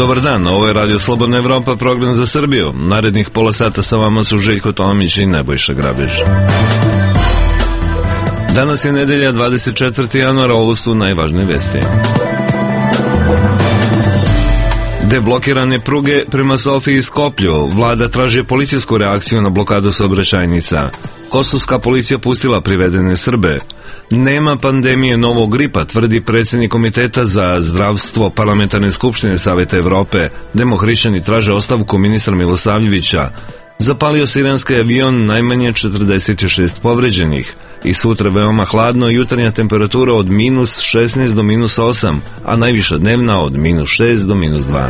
Dobar dan, ovo je Radio Slobodna Evropa, program za Srbiju. Narednih pola sata sa vama su Željko Tomić i Nebojša Grabež. Danas je nedelja 24. januara, ovo su najvažnije vesti. Deblokirane pruge prema Sofiji i Skoplju. Vlada traži policijsku reakciju na blokadu saobraćajnica. Kosovska policija pustila privedene Srbe. Nema pandemije novog gripa, tvrdi predsjednik Komiteta za zdravstvo Parlamentarne skupštine Saveta Evrope. Demohrišćani traže ostavku ministra Milosavljevića. Zapalio se iranski avion, najmanje 46 povređenih. I sutra veoma hladno, jutarnja temperatura od minus 16 do minus 8, a najviša dnevna od minus 6 do minus 2.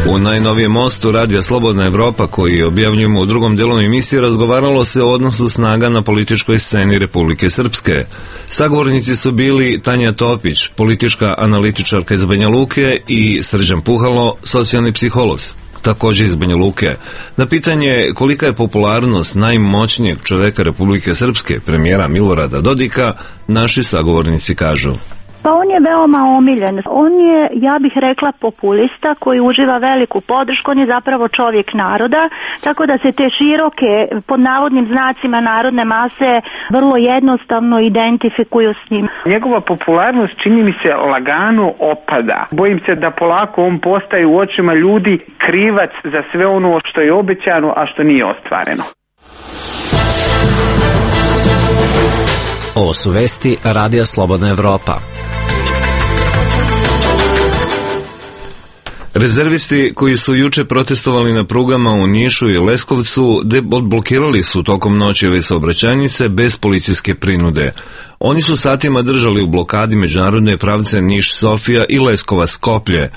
U najnovijem mostu Radija Slobodna Evropa, koji objavljujemo u drugom delu emisije, razgovaralo se o odnosu snaga na političkoj sceni Republike Srpske. Sagovornici su bili Tanja Topić, politička analitičarka iz Banja Luke, i Srđan Puhalo, socijalni psiholog, također iz Banja Luke. Na pitanje kolika je popularnost najmoćnijeg čoveka Republike Srpske, premijera Milorada Dodika, naši sagovornici kažu: Pa on je veoma omiljen. On je, ja bih rekla, populista koji uživa veliku podršku. On je zapravo čovjek naroda, tako da se te široke, pod navodnim znacima, narodne mase vrlo jednostavno identifikuju s njim. Njegova popularnost, čini mi se, lagano opada. Bojim se da polako on postaje u očima ljudi krivac za sve ono što je obećano, a što nije ostvareno. Ovo su vesti Radija Slobodna Evropa. Rezervisti koji su juče protestovali na prugama u Nišu i Leskovcu odblokirali su tokom noći ove saobraćajnice bez policijske prinude. Oni su satima držali u blokadi međunarodne pravce Niš-Sofija i Leskovac-Skoplje.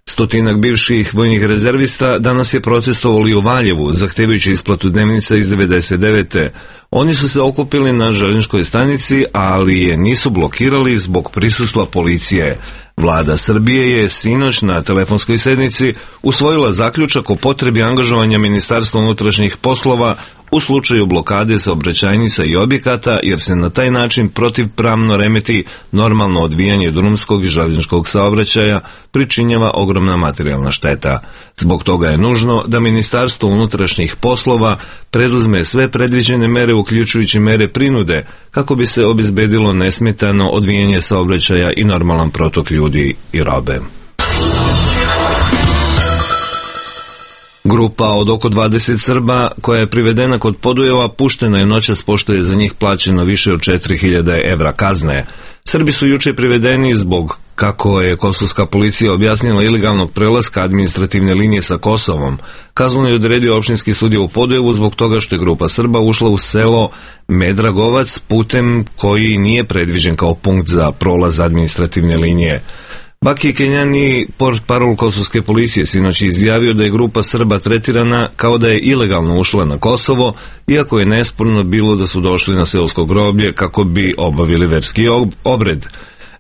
Stotinak bivših vojnih rezervista danas je protestovali u Valjevu, zahtevajući isplatu dnevnica iz 99. Oni su se okupili na željezničkoj stanici, ali je nisu blokirali zbog prisustva policije. Vlada Srbije je sinoć na telefonskoj sednici usvojila zaključak o potrebi angažovanja Ministarstva unutrašnjih poslova u slučaju blokade saobraćajnica i objekata, jer se na taj način protivpravno remeti normalno odvijanje drumskog i željezničkog saobraćaja, pričinjava ogromna materijalna šteta. Zbog toga je nužno da Ministarstvo unutrašnjih poslova preduzme sve predviđene mere, uključujući mere prinude, kako bi se obezbedilo nesmetano odvijanje saobraćaja i normalan protok ljudi i robe. Grupa od oko 20 Srba koja je privedena kod Podujeva puštena je noćas, pošto je za njih plaćeno više od 4000 evra kazne. Srbi su juče privedeni zbog, kako je kosovska policija objasnila, ilegalnog prelaska administrativne linije sa Kosovom. Kaznu je odredio opštinski sudija u Podujevu zbog toga što je grupa Srba ušla u selo Medragovac putem koji nije predviđen kao punkt za prolaz administrativne linije. Baki Kenjani, portparol kosovske policije, sinoć izjavio da je grupa Srba tretirana kao da je ilegalno ušla na Kosovo, iako je nesporno bilo da su došli na seosko groblje kako bi obavili verski obred.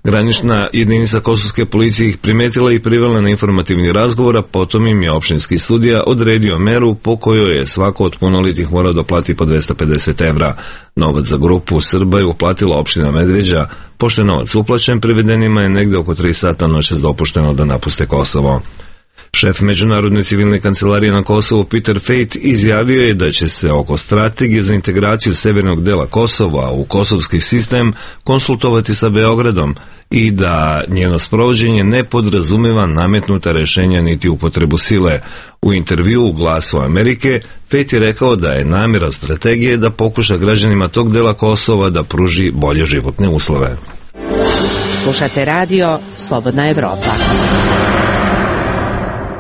Granična jedinica kosovske policije ih primetila i privela na informativni razgovor, a potom im je opštinski sudija odredio meru po kojoj je svako od punolitih morao da plati po 250 evra. Novac za grupu Srba je uplatila opština Medveđa. Pošto je novac uplaćen, privedenima je negde oko 3 sata noćas dopušteno da napuste Kosovo. Šef Međunarodne civilne kancelarije na Kosovu Peter Fejt izjavio je da će se oko strategije za integraciju severnog dela Kosova u kosovski sistem konsultovati sa Beogradom i da njeno sprovođenje ne podrazumeva nametnuta rešenja niti upotrebu sile. U intervju u Glasu Amerike Fejt je rekao da je namjera strategije da pokuša građanima tog dela Kosova da pruži bolje životne uslove. Slušate radio Slobodna Evropa.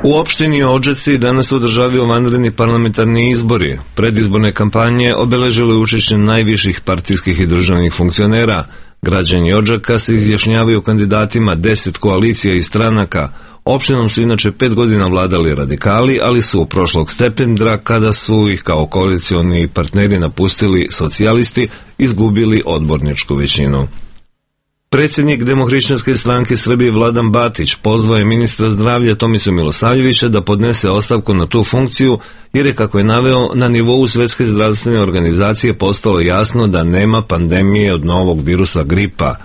U opštini Odžaci danas održavaju vanredni parlamentarni izbori. Predizborne kampanje obeležile učešće najviših partijskih i državnih funkcionera. Građani Odžaka se izjašnjavaju kandidatima 10 koalicija i stranaka. Opštinom su inače 5 godina vladali radikali, ali su prošlog septembra, kada su ih kao koalicioni partneri napustili socijalisti, izgubili odborničku većinu. Predsjednik Demohrišćanske stranke Srbije Vladan Batić pozvao je ministra zdravlja Tomicu Milosavljevića da podnese ostavku na tu funkciju, jer je, kako je naveo, na nivou Svetske zdravstvene organizacije postalo jasno da nema pandemije od novog virusa gripa.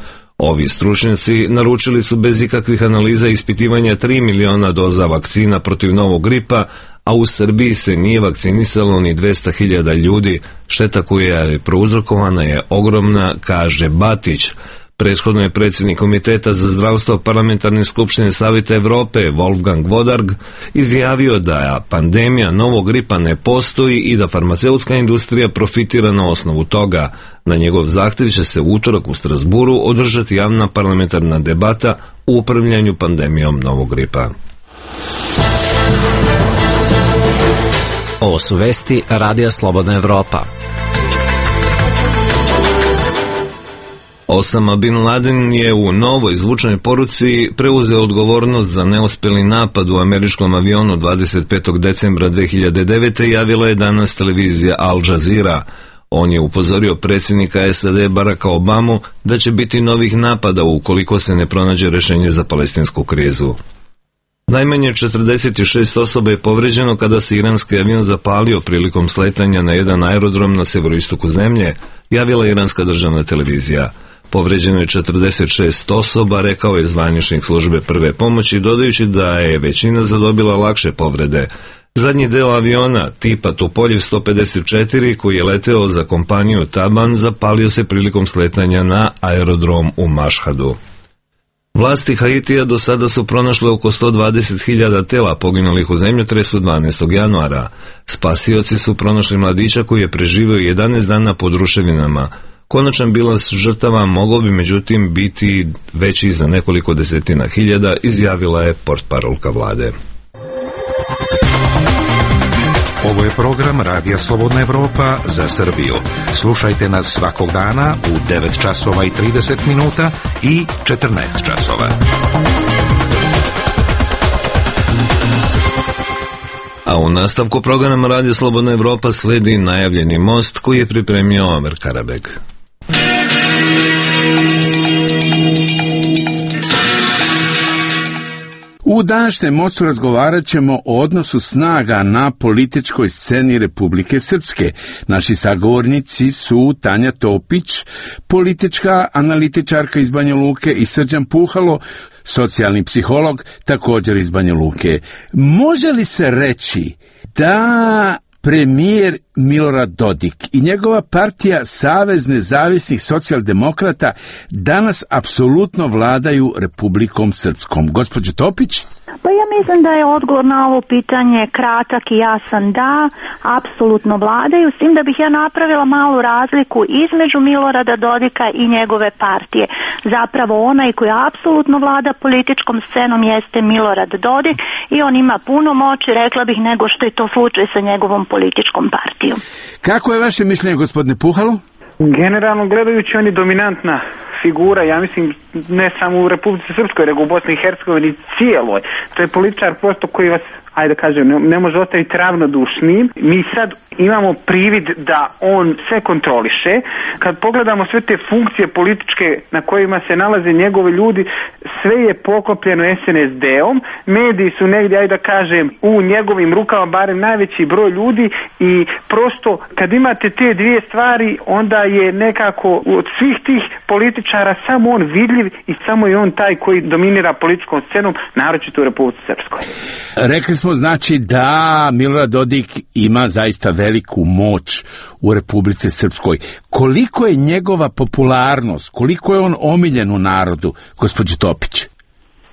Ovi stručnjaci naručili su bez ikakvih analiza ispitivanja 3 miliona doza vakcina protiv novog gripa, a u Srbiji se nije vakcinisalo ni 200.000 ljudi. Šteta koja je prouzrokovana je ogromna, kaže Batić. Prethodno je predsjednik Komiteta za zdravstvo Parlamentarne skupštine Savjeta Evrope Wolfgang Wodarg izjavio da pandemija novog gripa ne postoji i da farmaceutska industrija profitira na osnovu toga. Na njegov zahtjev će se u utorak u Strasburu održati javna parlamentarna debata u upravljanju pandemijom novog gripa. Ovo su vesti Radija Slobodna Evropa. Osama Bin Laden je u novoj zvučnoj poruci preuzeo odgovornost za neuspjeli napad u američkom avionu 25. decembra 2009. javila je danas televizija Al Jazeera. On je upozorio predsjednika SAD Baracka Obamu da će biti novih napada ukoliko se ne pronađe rješenje za palestinsku krizu. Najmanje 46 osoba je povrijeđeno kada se iranski avion zapalio prilikom sletanja na jedan aerodrom na sjeveroistoku zemlje, javila iranska državna televizija. Povrijeđeno je 46 osoba, rekao je zvaničnik službe prve pomoći, dodajući da je većina zadobila lakše povrede. Zadnji deo aviona tipa Tupoljev 154 koji je leteo za kompaniju Taban zapalio se prilikom sletanja na aerodrom u Mašhadu. Vlasti Haitija do sada su pronašle oko 120.000 tela poginulih u zemljotresu 12. januara. Spasioci su pronašli mladića koji je preživio 11 dana pod ruševinama. Konačan bilans žrtava mogao bi međutim biti veći za nekoliko desetina hiljada, izjavila je portparolka vlade. Ovo je program Radija Slobodna Evropa za Srbiju. Slušajte nas svakog dana u 9 časova i 30 minuta i 14 časova. A u nastavku programa Radija Slobodna Evropa sledi najavljeni most koji je pripremio Omer Karabeg. U današnjem mostu razgovarat ćemo o odnosu snaga na političkoj sceni Republike Srpske. Naši sagovornici su Tanja Topić, politička analitičarka iz Banja Luke, i Srđan Puhalo, socijalni psiholog, također iz Banja Luke. Može li se reći da premijer Milorad Dodik i njegova partija Savez nezavisnih socijaldemokrata danas apsolutno vladaju Republikom Srpskom? Gospođo Topić? Pa ja mislim da je odgovor na ovo pitanje kratak i jasan, da, apsolutno vladaju, s tim da bih ja napravila malu razliku između Milorada Dodika i njegove partije. Zapravo onaj koji apsolutno vlada političkom scenom jeste Milorad Dodik i on ima puno moći, rekla bih, nego što je to slučaj sa njegovom političkom partijom. Kako je vaše mišljenje, gospodine Puhalo? Generalno gledajući, on je dominantna figura, ja mislim, ne samo u Republici Srpskoj, nego u Bosni i Hercegovini cijeloj. To je političar prosto koji vas, ajde kažem, ne može ostaviti ravnodušnim. Mi sad imamo privid da on sve kontroliše. Kad pogledamo sve te funkcije političke na kojima se nalaze njegovi ljudi, sve je poklopljeno SNSD-om. Mediji su negdje, ajde da kažem, u njegovim rukama, barem najveći broj ljudi, i prosto kad imate te dvije stvari, onda je nekako od svih tih političara samo on vidljiv i samo je on taj koji dominira političkom scenom, naročito u Republici Srpskoj. Rekli smo znači da Milorad Dodik ima zaista veliku moć u Republici Srpskoj. Koliko je njegova popularnost, koliko je on omiljen u narodu, gospođo Topić?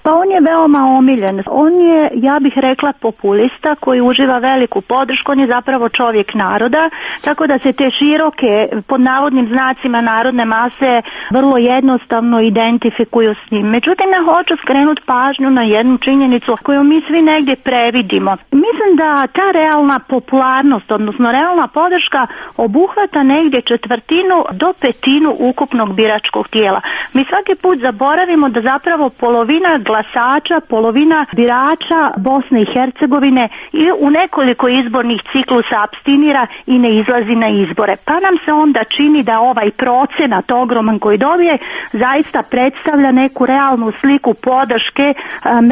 Pa on je veoma omiljen. On je, ja bih rekla, populista koji uživa veliku podršku. On je zapravo čovjek naroda, tako da se te široke, pod navodnim znacima, narodne mase vrlo jednostavno identifikuju s njim. Međutim, ja hoću skrenuti pažnju na jednu činjenicu koju mi svi negdje previdimo. Mislim da ta realna popularnost, odnosno realna podrška, obuhvata negdje 1/4 do 1/5 ukupnog biračkog tijela. Mi svaki put zaboravimo da zapravo polovina glasača, polovina birača Bosne i Hercegovine i u nekoliko izbornih ciklusa apstinira i ne izlazi na izbore. Pa nam se onda čini da ovaj procenat ogroman koji dobije zaista predstavlja neku realnu sliku podrške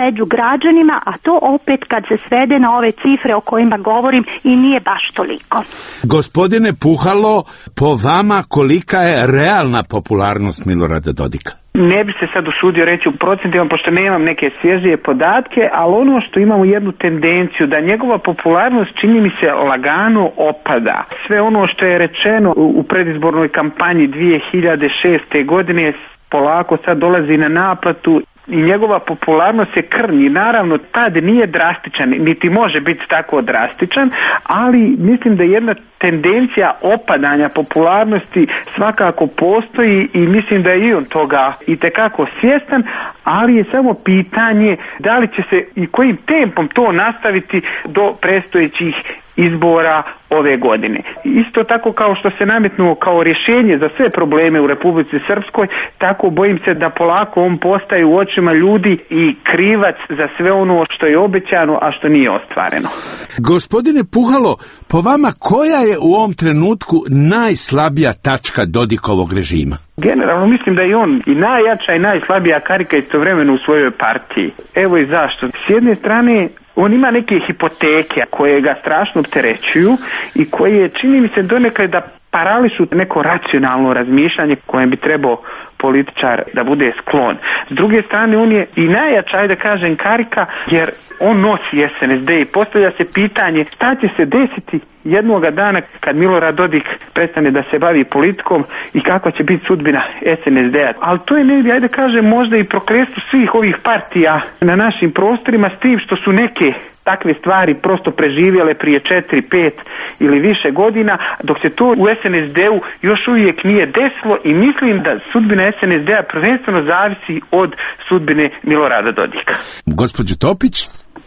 među građanima, a to opet kad se svede na ove cifre o kojima govorim i nije baš toliko. Gospodine Puhalo, po vama kolika je realna popularnost Milorada Dodika? Ne bi se sad usudio reći u procentima, pošto nemam neke svježije podatke, ali ono što imamo jednu tendenciju, da njegova popularnost, čini mi se, lagano opada. Sve ono što je rečeno u predizbornoj kampanji 2006. godine polako sad dolazi na naplatu i njegova popularnost se krnji. Naravno, tad nije drastičan, niti može biti tako drastičan, ali mislim da jedna tendencija opadanja popularnosti svakako postoji i mislim da je i on toga itekako svjestan, ali je samo pitanje da li će se i kojim tempom to nastaviti do predstojećih izbora ove godine. Isto tako kao što se nametnuo kao rješenje za sve probleme u Republici Srpskoj, tako bojim se da polako on postaje u očima ljudi i krivac za sve ono što je obećano, a što nije ostvareno. Gospodine Puhalo, po vama koja je u ovom trenutku najslabija tačka Dodikovog režima? Generalno mislim da je on i najjača i najslabija karika istovremeno u svojoj partiji. Evo i zašto. S jedne strane, on ima neke hipoteke koje ga strašno opterećuju i koje, čini mi se, donekle da parališu neko racionalno razmišljanje kojem bi trebao političar da bude sklon. S druge strane, on je i najjača, da kažem, karika, jer on nosi SNSD i postavlja se pitanje šta će se desiti jednoga dana kad Milorad Dodik prestane da se bavi politikom i kakva će biti sudbina SNSD-a. Ali to je negdje, ajde kažem, možda i prokletstvo svih ovih partija na našim prostorima, s tim što su neke takve stvari prosto preživjele prije 4, 5 ili više godina, dok se to u SNSD-u još uvijek nije desilo i mislim da sudbina SNSD-a prvenstveno zavisi od sudbine Milorada Dodika. Gospođo Topić?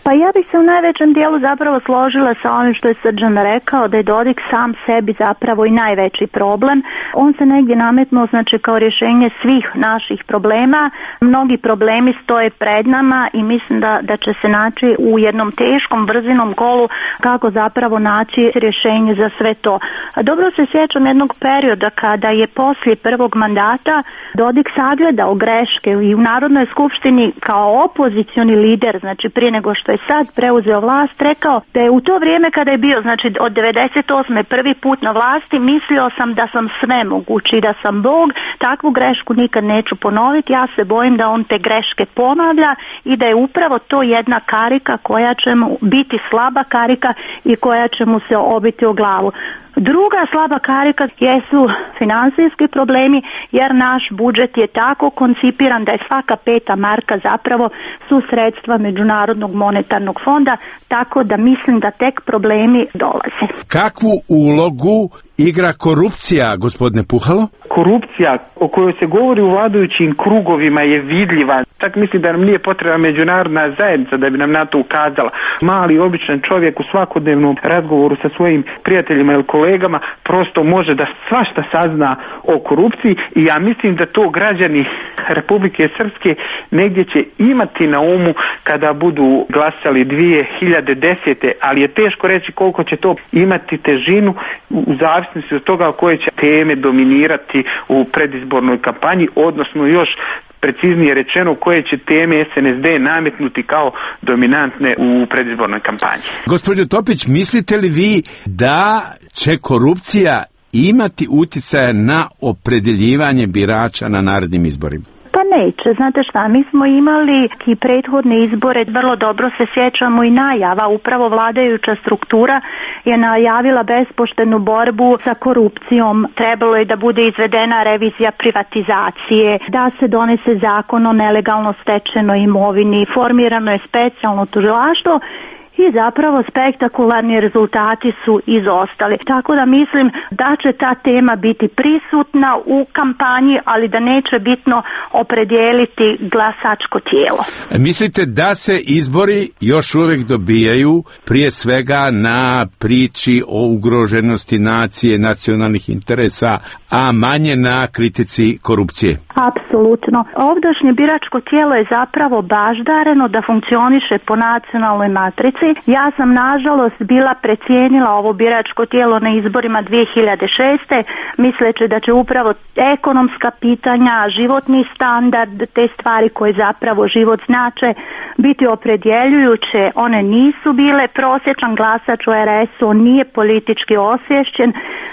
Pa ja bih se u najvećem dijelu zapravo složila sa onim što je Srđan rekao, da je Dodik sam sebi zapravo i najveći problem. On se negdje nametnuo, znači, kao rješenje svih naših problema. Mnogi problemi stoje pred nama i mislim da će se naći u jednom teškom brzinom kolu kako zapravo naći rješenje za sve to. Dobro se sjećam jednog perioda kada je poslije prvog mandata Dodik sagledao greške i u Narodnoj skupštini kao opozicioni lider, znači prije nego što je sad preuzeo vlast, rekao da je u to vrijeme kada je bio, znači od 98. prvi put na vlasti, mislio sam da sam svemogući i da sam Bog, takvu grešku nikad neću ponoviti, ja se bojim da on te greške ponavlja i da je upravo to jedna karika koja će mu biti slaba karika i koja će mu se obiti o glavu. Druga slaba karika jesu financijski problemi, jer naš budžet je tako koncipiran da je svaka 5. marka zapravo su sredstva Međunarodnog monetarnog fonda, tako da mislim da tek problemi dolaze. Kakvu ulogu igra korupcija, gospodine Puhalo? Korupcija o kojoj se govori u vladajućim krugovima je vidljiva. Čak mislim da nam nije potrebna međunarodna zajednica da bi nam na to ukazala. Mali, običan čovjek u svakodnevnom razgovoru sa svojim prijateljima ili kolegama prosto može da svašta sazna o korupciji i ja mislim da to građani Republike Srpske negdje će imati na umu kada budu glasali 2010. Ali je teško reći koliko će to imati težinu u zavisnosti od toga koje će teme dominirati u predizbornoj kampanji, odnosno još preciznije rečeno koje će teme SNSD nametnuti kao dominantne u predizbornoj kampanji. Gospođo Topić, mislite li vi da će korupcija imati utjecaja na opredjeljivanje birača na narednim izborima? Pa neće, znate šta, mi smo imali i prethodne izbore, vrlo dobro se sjećamo i najava, upravo vladajuća struktura je najavila bespoštenu borbu sa korupcijom, trebalo je da bude izvedena revizija privatizacije, da se donese zakon o nelegalno stečenoj imovini, formirano je specijalno tužilaštvo i zapravo spektakularni rezultati su izostali. Tako da mislim da će ta tema biti prisutna u kampanji, ali da neće bitno opredijeliti glasačko tijelo. Mislite da se izbori još uvijek dobijaju prije svega na priči o ugroženosti nacije, nacionalnih interesa, a manje na kritici korupcije? Apsolutno. Ovdašnje biračko tijelo je zapravo baždareno da funkcioniše po nacionalnoj matrici, Republici. Ja sam nažalost bila precijenila ovo biračko tijelo na izborima 2006. misleći da će upravo ekonomska pitanja, životni standard, te stvari koje zapravo život znače biti opredjeljujuće. One nisu bile. Prosječan glasač u RS-u, on nije politički osvješćen.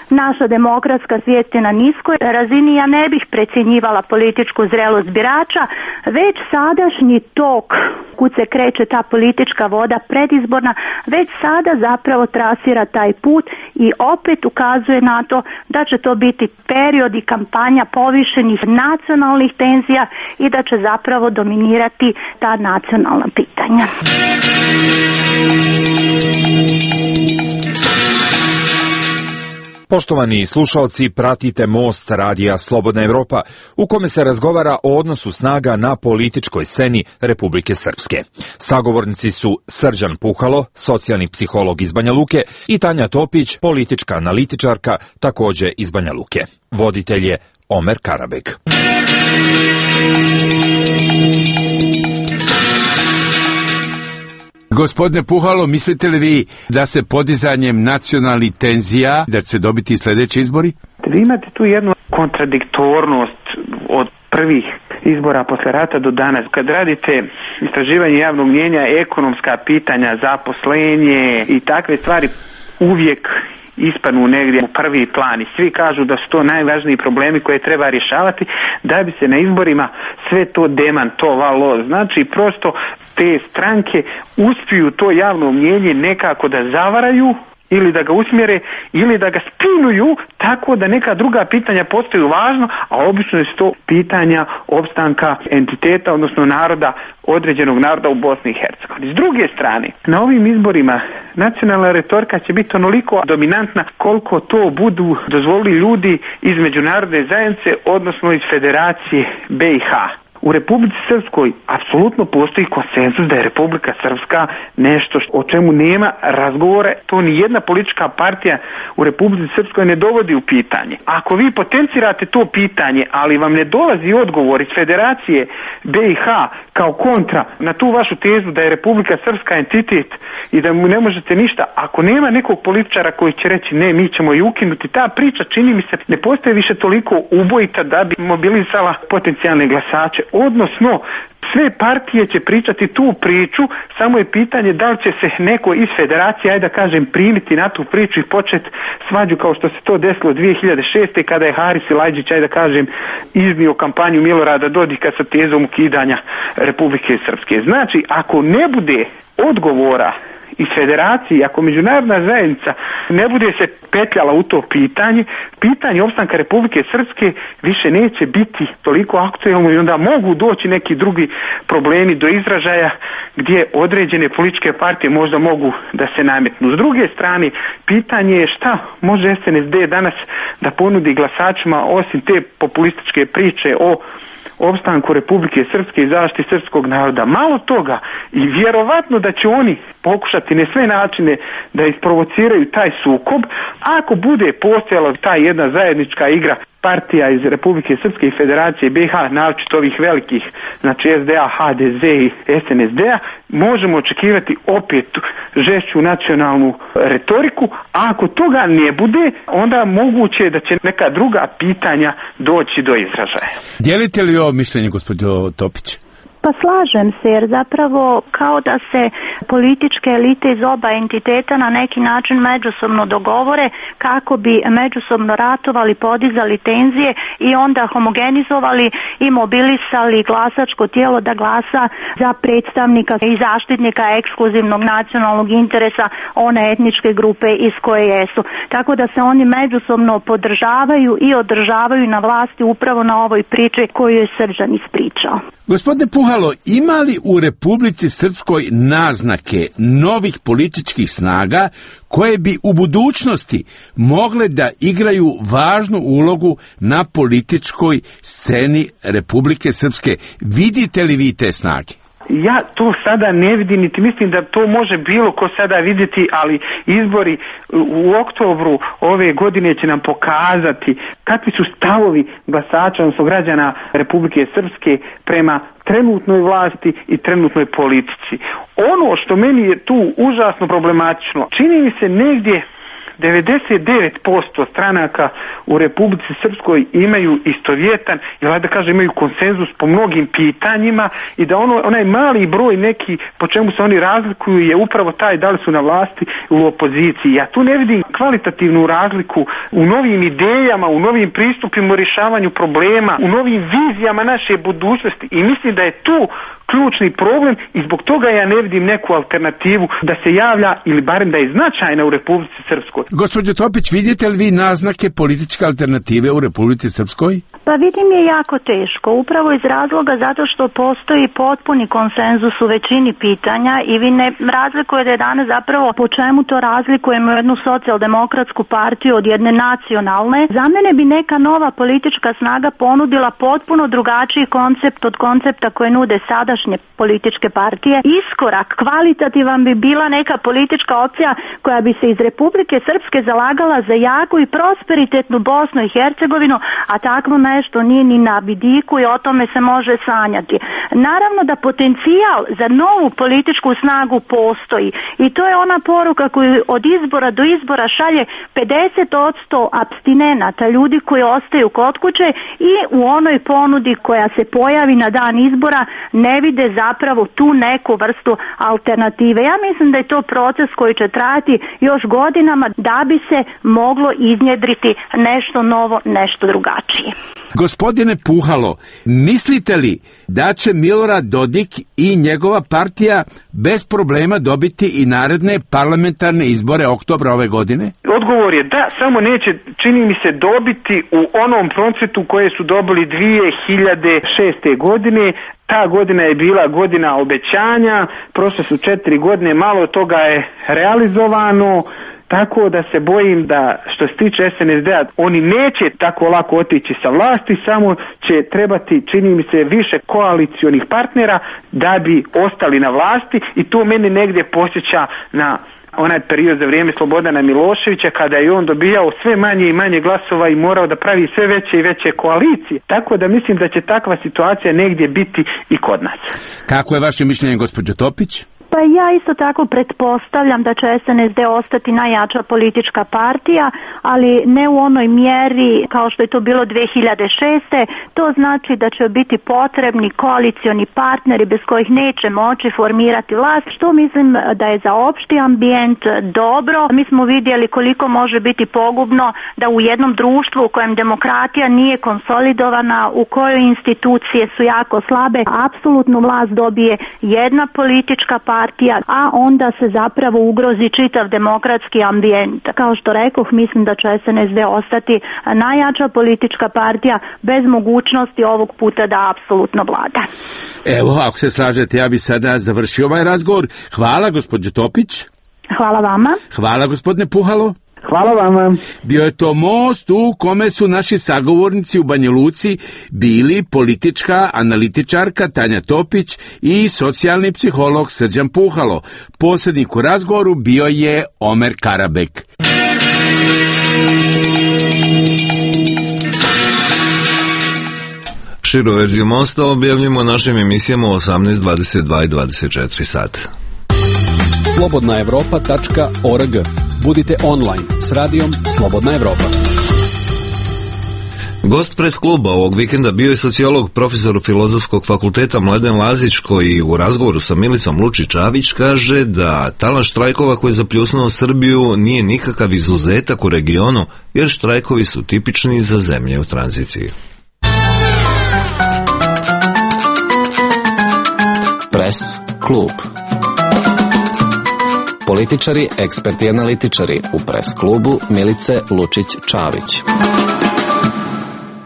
Naša demokratska svijest je na niskoj razini. Ja ne bih precjenjivala političku zrelost birača, već sadašnji tok kud se kreće ta politička voda predizborna, već sada zapravo trasira taj put i opet ukazuje na to da će to biti period i kampanja povišenih nacionalnih tenzija i da će zapravo dominirati ta nacionalna pitanja. Poštovani slušaoci, pratite Most radija Slobodna Evropa, u kome se razgovara o odnosu snaga na političkoj sceni Republike Srpske. Sagovornici su Srđan Puhalo, socijalni psiholog iz Banja Luke, i Tanja Topić, politička analitičarka, takođe iz Banja Luke. Voditelj je Omer Karabeg. Gospodine Puhalo, mislite li vi da se podizanjem nacionalnih tenzija da će se dobiti sljedeći izbori? Vi imate tu jednu kontradiktornost od prvih izbora posle rata do danas. Kad radite istraživanje javnog mnijenja, ekonomska pitanja, zaposlenje i takve stvari uvijek ispadnu negdje u prvi plan i svi kažu da su to najvažniji problemi koje treba rješavati da bi se na izborima sve to demantovalo. Znači prosto te stranke uspiju to javno mnijenje nekako da zavaraju ili da ga usmjere ili da ga spinuju tako da neka druga pitanja postaju važno, a obično je to pitanja opstanka entiteta, odnosno naroda, određenog naroda u Bosni i Hercegovini. S druge strane, na ovim izborima nacionalna retorika će biti onoliko dominantna koliko to budu dozvolili ljudi iz međunarodne zajednice, odnosno iz Federacije BiH. U Republici Srpskoj apsolutno postoji konsenzus da je Republika Srpska nešto o čemu nema razgovora. To ni jedna politička partija u Republici Srpskoj ne dovodi u pitanje. Ako vi potencirate to pitanje, ali vam ne dolazi odgovor iz Federacije BiH kao kontra na tu vašu tezu da je Republika Srpska entitet i da mu ne možete ništa, ako nema nekog političara koji će reći ne, mi ćemo ju ukinuti, ta priča čini mi se ne postoje više toliko ubojita da bi mobilizala potencijalne glasače. Odnosno, sve partije će pričati tu priču, samo je pitanje da li će se neko iz Federacije, ajde da kažem, primiti na tu priču i početi svađu kao što se to desilo 2006. kada je Haris Silajdžić, ajde da kažem, iznio kampanju Milorada Dodika sa tezom ukidanja Republike Srpske. Znači, ako ne bude odgovora iz Federacije, ako međunarodna zajednica ne bude se petljala u to pitanje opstanka Republike Srpske više neće biti toliko aktuelno i onda mogu doći neki drugi problemi do izražaja gdje određene političke partije možda mogu da se nametnu. S druge strane, pitanje je šta može SNSD danas da ponudi glasačima osim te populističke priče o opstanku Republike Srpske i zaštiti srpskog naroda. Malo toga i vjerovatno da će oni pokušati na sve načine da isprovociraju taj sukob. Ako bude postojala ta jedna zajednička igra partija iz Republike Srpske i Federacije BiH, naročito ovih velikih, znači SDA, HDZ i SNSD-a, možemo očekivati opet žešću nacionalnu retoriku, a ako toga ne bude, onda moguće je da će neka druga pitanja doći do izražaja. Dijelite li ovo mišljenje, gospođo Topić? Pa slažem se, jer zapravo kao da se političke elite iz oba entiteta na neki način međusobno dogovore kako bi međusobno ratovali, podizali tenzije i onda homogenizovali i mobilisali glasačko tijelo da glasa za predstavnika i zaštitnika ekskluzivnog nacionalnog interesa one etničke grupe iz koje jesu. Tako da se oni međusobno podržavaju i održavaju na vlasti upravo na ovoj priči koju je Srđan ispričao. Gospodine Puhalo, ima li u Republici Srpskoj naznake novih političkih snaga koje bi u budućnosti mogle da igraju važnu ulogu na političkoj sceni Republike Srpske? Vidite li vi te snage? Ja to sada ne vidim, niti mislim da to može bilo ko sada vidjeti, ali izbori u oktobru ove godine će nam pokazati kakvi su stavovi glasača, odnosno građana Republike Srpske prema trenutnoj vlasti i trenutnoj politici. Ono što meni je tu užasno problematično, čini mi se negdje 99% stranaka u Republici Srpskoj imaju istovjetan, ili da kažem imaju konsenzus po mnogim pitanjima i da onaj mali broj neki po čemu se oni razlikuju je upravo taj da li su na vlasti ili u opoziciji. Ja tu ne vidim kvalitativnu razliku u novim idejama, u novim pristupima u rješavanju problema, u novim vizijama naše budućnosti i mislim da je tu ključni problem i zbog toga ja ne vidim neku alternativu da se javlja ili barem da je značajna u Republici Srpskoj. Gospođo Topić, vidite li vi naznake političke alternative u Republici Srpskoj? Pa vidim je jako teško, upravo iz razloga zato što postoji potpuni konsenzus u većini pitanja i vi ne razlikujete danas zapravo po čemu to razlikujemo jednu socijaldemokratsku partiju od jedne nacionalne. Za mene bi neka nova politička snaga ponudila potpuno drugačiji koncept od koncepta koje nude sadašnje političke partije. Iskorak kvalitativan bi bila neka politička opcija koja bi se iz Republike Srpske zalagala za jaku i prosperitetnu Bosnu i Hercegovinu, a takvo nešto nije ni na vidiku i o tome se može sanjati. Naravno da potencijal za novu političku snagu postoji i to je ona poruka koju od izbora do izbora šalje 50% apstinenata, ljudi koji ostaju kod kuće i u onoj ponudi koja se pojavi na dan izbora ne vide zapravo tu neku vrstu alternative. Ja mislim da je to proces koji će trajati još godinama da bi se moglo iznjedriti nešto novo, nešto drugačije. Gospodine Puhalo, mislite li da će Milorad Dodik i njegova partija bez problema dobiti i naredne parlamentarne izbore oktobra ove godine? Odgovor je da, samo neće, čini mi se, dobiti u onom procentu koje su dobili 2006. godine. Ta godina je bila godina obećanja, prošle su 4 godine, malo toga je realizovano. Tako da se bojim da što se tiče SNSD-a oni neće tako lako otići sa vlasti, samo će trebati, čini mi se, više koalicionih partnera da bi ostali na vlasti i to mene negdje posjeća na onaj period za vrijeme Slobodana Miloševića kada je on dobijao sve manje i manje glasova i morao da pravi sve veće i veće koalicije. Tako da mislim da će takva situacija negdje biti i kod nas. Kako je vaše mišljenje, gospođo Topić? Pa ja isto tako pretpostavljam da će SNSD ostati najjača politička partija, ali ne u onoj mjeri kao što je to bilo 2006. To znači da će biti potrebni koalicioni partneri bez kojih neće moći formirati vlast, što mislim da je za opšti ambijent dobro. Mi smo vidjeli koliko može biti pogubno da u jednom društvu u kojem demokratija nije konsolidovana, u kojoj institucije su jako slabe, apsolutnu vlast dobije jedna politička partija, a onda se zapravo ugrozi čitav demokratski ambijent. Kao što rekoh, mislim da će SNSD ostati najjača politička partija bez mogućnosti ovog puta da apsolutno vlada. Evo, ako se slažete, ja bi sada završio ovaj razgovor. Hvala, gospođo Topić. Hvala vama. Hvala, gospodine Puhalo. Hvala vama. Bio je to most u kome su naši sagovornici u Banja Luci bili politička analitičarka Tanja Topić i socijalni psiholog Srđan Puhalo. Posrednik u razgovoru bio je Omer Karabek. Širu verziju mosta objavljamo našim emisijama u 18, 22 i 24 sata. slobodnaevropa.org. Budite online s radijom Slobodna Evropa. Gost pres kluba ovog vikenda bio je sociolog, profesor Filozofskog fakulteta Mladen Lazić, koji u razgovoru sa Milicom Lučić-Čavić kaže da talas štrajkova koji je zapljusnuo Srbiju nije nikakav izuzetak u regionu, jer štrajkovi su tipični za zemlje u tranziciji. Pres klub. Političari, eksperti i analitičari u pres klubu Milice Lučić-Čavić.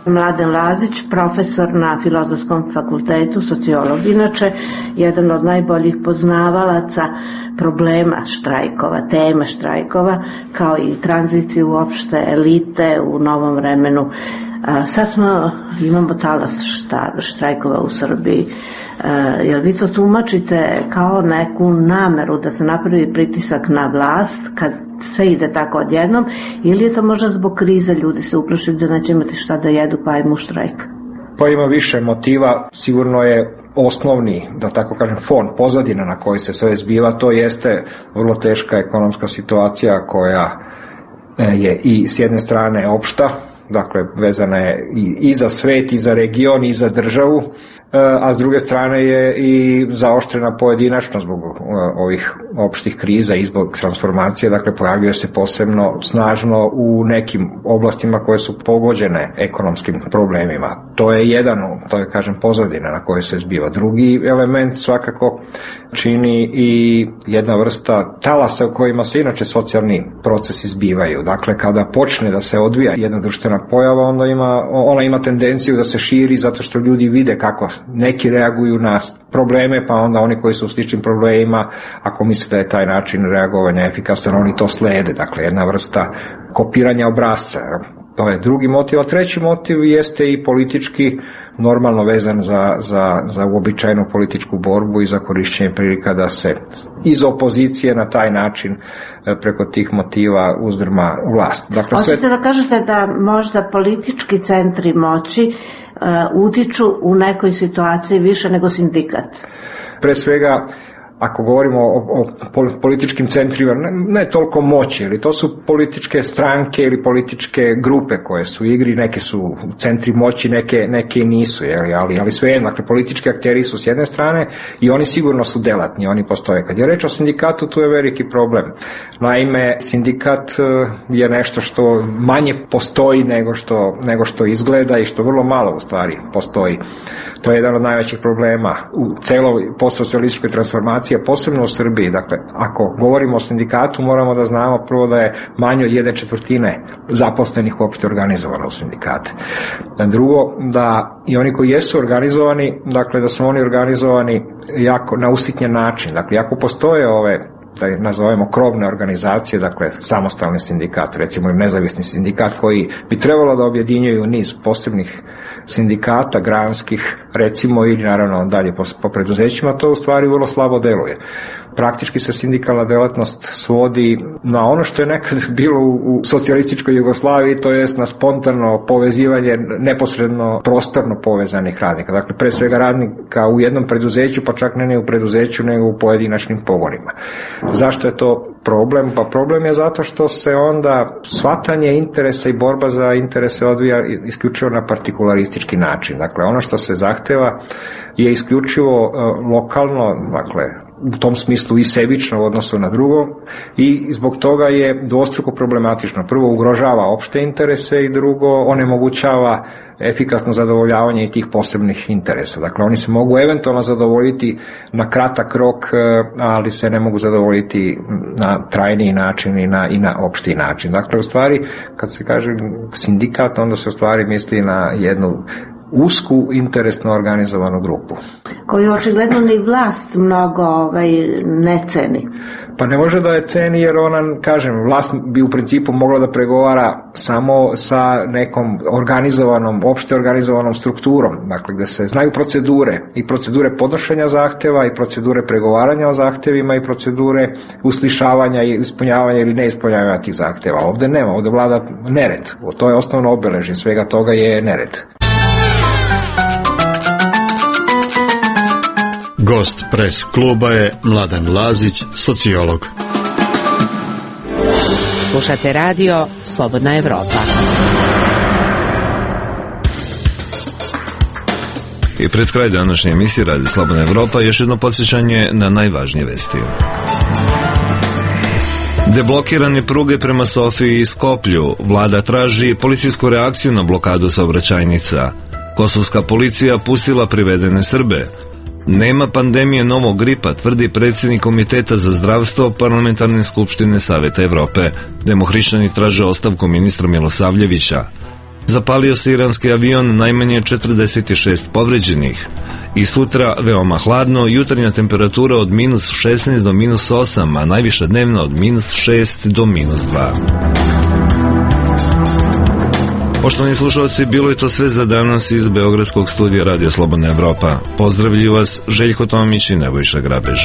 Mladen Lazić, profesor na Filozofskom fakultetu, sociolog inače, jedan od najboljih poznavalaca problema štrajkova, teme štrajkova, kao i tranziciju uopšte elite u novom vremenu Sad imamo talas štrajkova u Srbiji. Jel vi to tumačite kao neku nameru da se napravi pritisak na vlast kad sve ide tako odjednom, ili je to možda zbog krize, ljudi se uplašili da neće imati šta da jedu pa ajmo u štrajk? Pa ima više motiva, sigurno je osnovni, da tako kažem, fon, pozadina na koji se sve zbiva, to jeste vrlo teška ekonomska situacija koja je i s jedne strane opšta, dakle vezana je i za svet, i za region, i za državu, a s druge strane je i zaoštrena pojedinačno zbog ovih opštih kriza i zbog transformacije, dakle pojavljuje se posebno snažno u nekim oblastima koje su pogođene ekonomskim problemima. To je jedan, to je kažem pozadina na kojoj se zbiva. Drugi element svakako čini i jedna vrsta talasa u kojima se inače socijalni procesi zbivaju. Dakle, kada počne da se odvija jedna društvena pojava, onda ona ima tendenciju da se širi zato što ljudi vide kako neki reaguju na probleme, pa onda oni koji su u sličnim problemima, ako misle da je taj način reagovanja efikasan, oni to slede. Dakle, jedna vrsta kopiranja obrasca. To je drugi motiv, a treći motiv jeste i politički, normalno vezan za uobičajenu političku borbu i za korišćenje prilika da se iz opozicije na taj način preko tih motiva uzdrma vlast. Dakle, hoćete da kažete da možda politički centri moći utiču u nekoj situaciji više nego sindikat? Pre svega, ako govorimo o političkim centrima, ne toliko moći, ali to su političke stranke ili političke grupe koje su u igri, neke su centri moći, neke nisu, ali svejedno, dakle, politički akteri su s jedne strane i oni sigurno su delatni, oni postoje. Kad je reč o sindikatu, tu je veliki problem. Naime, sindikat je nešto što manje postoji nego što izgleda i što vrlo malo u stvari postoji. To je jedan od najvećih problema u celoj postsocijalističkoj transformaciji, posebno u Srbiji. Dakle, ako govorimo o sindikatu, moramo da znamo prvo da je manje od 1/4 zaposlenih uopšte organizovano u sindikate. Drugo, da i oni koji jesu organizovani, dakle da su oni organizovani jako na usitnjen način. Dakle, ako postoje ove, da nazovemo, krovne organizacije, dakle samostalni sindikat, recimo i nezavisni sindikat koji bi trebalo da objedinjuju niz posebnih sindikata, granskih, recimo, ili naravno dalje po preduzećima, to u stvari vrlo slabo deluje. Praktički se sindikalna delatnost svodi na ono što je nekad bilo u socijalističkoj Jugoslaviji, to jest na spontano povezivanje neposredno prostorno povezanih radnika. Dakle, pre svega radnika u jednom preduzeću, pa čak ne u preduzeću, nego u pojedinačnim pogonima. Zašto je to problem? Pa problem je zato što se onda shvatanje interesa i borba za interese odvija isključivo na partikularistički način. Dakle, ono što se zahteva je isključivo lokalno, dakle, u tom smislu i sebično u odnosu na drugo, i zbog toga je dvostruko problematično. Prvo, ugrožava opšte interese, i drugo, onemogućava efikasno zadovoljavanje i tih posebnih interesa. Dakle, oni se mogu eventualno zadovoljiti na kratak rok, ali se ne mogu zadovoljiti na trajniji način i na opšti način. Dakle, u stvari, kad se kaže sindikat, onda se u stvari misli na jednu usku interesno organizovanu grupu. Koju očigledno ni vlast mnogo ne ceni. Pa ne može da je ceni, jer ona, kažem, vlast bi u principu mogla da pregovara samo sa nekom organizovanom, opšte organizovanom strukturom, dakle gde se znaju procedure, i procedure podnošenja zahteva, i procedure pregovaranja o zahtevima, i procedure uslišavanja i ispunjavanja ili neispunjavanja tih zahteva. Ovde nema, ovde vlada nered. To je osnovno obeležje svega toga, je nered. Gost Press kluba je Mladen Lazić, sociolog. Slušate radio Slobodna Evropa. I pred kraj današnje emisije Radio Slobodna Evropa još jedno podsjećanje na najvažnije vesti. Deblokirane pruge prema Sofiji i Skoplju. Vlada traži policijsku reakciju na blokadu saobraćajnica. Kosovska policija pustila privedene Srbe. Nema pandemije novog gripa, tvrdi predsjednik Komiteta za zdravstvo Parlamentarne skupštine Saveta Evrope. Demohrišćani traže ostavku ministra Milosavljevića. Zapalio se iranski avion, najmanje 46 povređenih. I sutra veoma hladno, jutarnja temperatura od -16 do -8, a najviša dnevna od -6 do -2. Poštovani slušalci, bilo je to sve za danas iz Beogradskog studija Radio Slobodna Evropa. Pozdravljuju vas Željko Tomić i Nebojša Grabež.